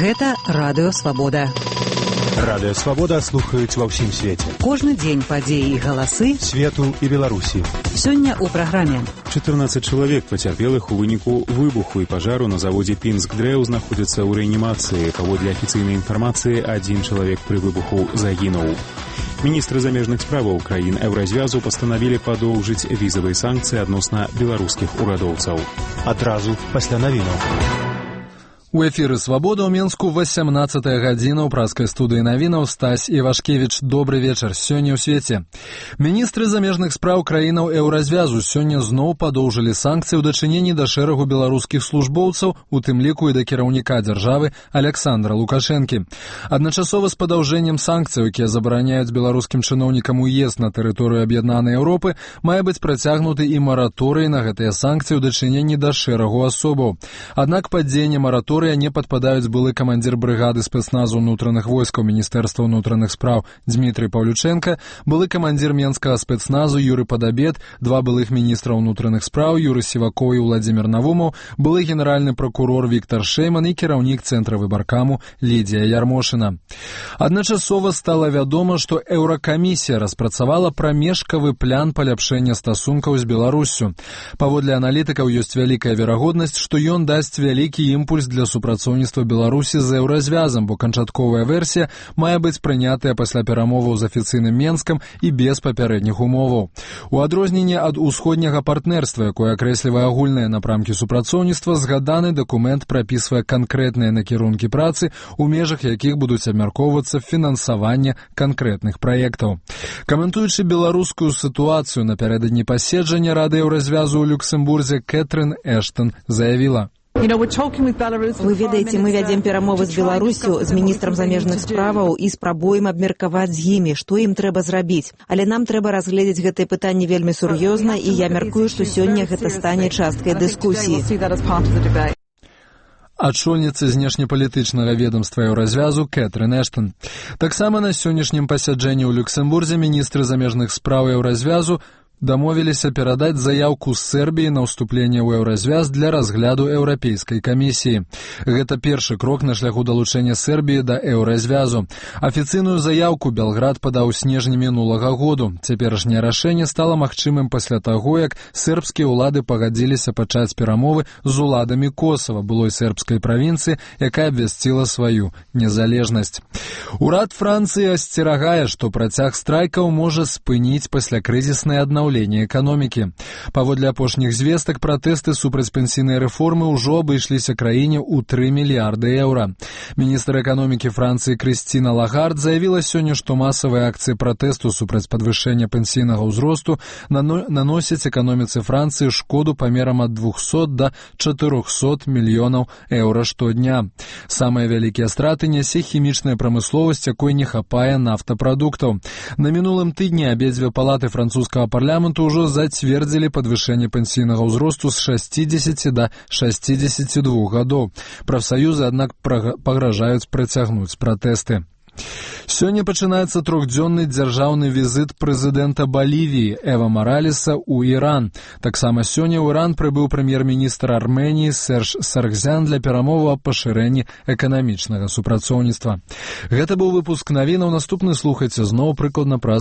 Гэта Радыё Свабода. Радыё Свабода слухаюць ва ўсім свеце. Кожны дзень падзеі і галасы свету і Беларусі. Сёння ў праграме. 14 чалавек пацярпелых у выніку выбуху і пажару на заводзе Пінск Дрэў знаходзяцца ў рэанімацыі. Паводле афіцыйнай інфармацыі, адзін чалавек пры выбуху загінуў. Міністры замежных справаў краін Еўразвязу пастанавілі падоўжыць візавыя санкцыі адносна беларускіх урадоўцаў. Адразу пасля навінаў. У эфіры «Свабода» ў Менску 18-я гадзіна ў праскай студыі навінаў. Стась Івашкевіч, добры вечар. Сёння ў свеце. Міністры замежных спраў краінаў Еўразвязу сёння зноў падоўжылі санкцыі ў дачыненні да шэрагу беларускіх службоўцаў, у тым ліку і да кіраўніка дзяржавы Аляксандра Лукашэнкі. Адначасова з падаўжэннем санкцыяў, якія забараняюць беларускім чыноўнікам уезд на тэрыторыю аб'яднанай Еўропы, мае быць працягнуты і мараторый на гэтыя санкцыі ў дачыненні да шэрагу асобаў. Аднак пад дзеянне мараторыя не падпадаюць былы камандзір брыгады спецназу ўнутраных войскаў Міністэрства ўнутраных спраў Дмітрый Паўлючэнка, былы камандзір менскага спецназу Юры Падабед, два былых міністра ўнутраных спраў Юры Сівакоў і Владзімір Навумаў, былы генеральны пракурор Віктар Шэйман і кіраўнік цэнтра выбаркаму Лідія Ярмошына. Адначасова стала вядома, што Еўракамісія распрацавала прамежкавы план паляпшэння стасункаў з Беларуссю. Паводле аналітыкаў ёсць вялікая верагоднасць, што ён дасць вялікі імпульс для супрацоўніцтва Беларусі з Еўразвязам, бо канчатковая версія мае быць прынятая пасля перамоваў з афіцыйным Менскам і без папярэдніх умоваў. У адрозненне ад усходняга партнерства, якое акрэслівае агульныя напрамкі супрацоўніцтва, згаданы дакумент прапісвае канкрэтныя накірункі працы, у межах якіх будуць абмяркоўвацца фінансаванне канкрэтных праектаў. Каментуючы беларускую сітуацыю напярэдадні паседжання Рады Еўразвязу ў Люксембурзе, Кэтрин Эштон заявіла: Вы ведаеце, мы вядзем перамовы з Беларусю, з міністрам замежных справаў і спрабуем абмеркаваць з імі, што ім трэба зрабіць. Але нам трэба разгледзець гэтае пытанне вельмі сур'ёзна, і я мяркую, што сёння гэта стане часткай дыскусіі. Ачольніца знешнепалітычнага ведомства Еўразвязу Кэтрин Эштон. Таксама на сённяшнім пасяджэнні ў Люксембурзе міністры замежных спраў Еўразвязу дамовіліся перадаць заяўку з Сербіі на ўступленне ў Еўразвяз для разгляду Еўрапейскай камісіі. Гэта першы крок на шляху далучэння Сербіі да Еўразвязу. Афіцыйную заяўку Белград падаў у снежні мінулага году. Цяперашняе рашэнне стала магчымым пасля таго, як сербскія ўлады пагадзіліся пачаць перамовы з уладамі Косава, былой сербскай правінцыі, якая абвясціла сваю незалежнасць. Урад Францыі асцерагае, што працяг страйкаў можа спыніць паслякрызіснае аднаўленне эканомікі. Паводле апошніх звестак, пратэсты супраць пенсійнай рэформы ўжо абышліся краіне ў 3 мільярды еўра. Міністр эканомікі Францыі Крысціна Лагард заявіла сёння, што масавыя акцыі пратэсту супраць падвышэння пенсійнага ўзросту наносяць эканоміцы Францыі шкоду памерам ад 200 да 400 мільёнаў еўра штодня. Самыя вялікія страты нясе хімічная прамысловасць, якой не хапае нафтапрадуктаў. На мінулым тыдні абедзве палаты французскага парламенту ўжо зацвердзілі падвышэнне пенсійнага ўзросту з 60 да 62 гадоў. Прафсаюзы, аднак, пагражаюць працягнуць пратэсты. Сёння пачынаецца трохдзённы дзяржаўны візіт прэзідэнта Балівіі Эва Маралеса ў Іран. Таксама сёння ў Іран прыбыў прэм'ер-міністр Арменіі Серж Саргзян для перамоваў аб пашырэнні эканамічнага супрацоўніцтва. Гэта быў выпуск навінаў. Наступны слухайце зноў прыкладна праз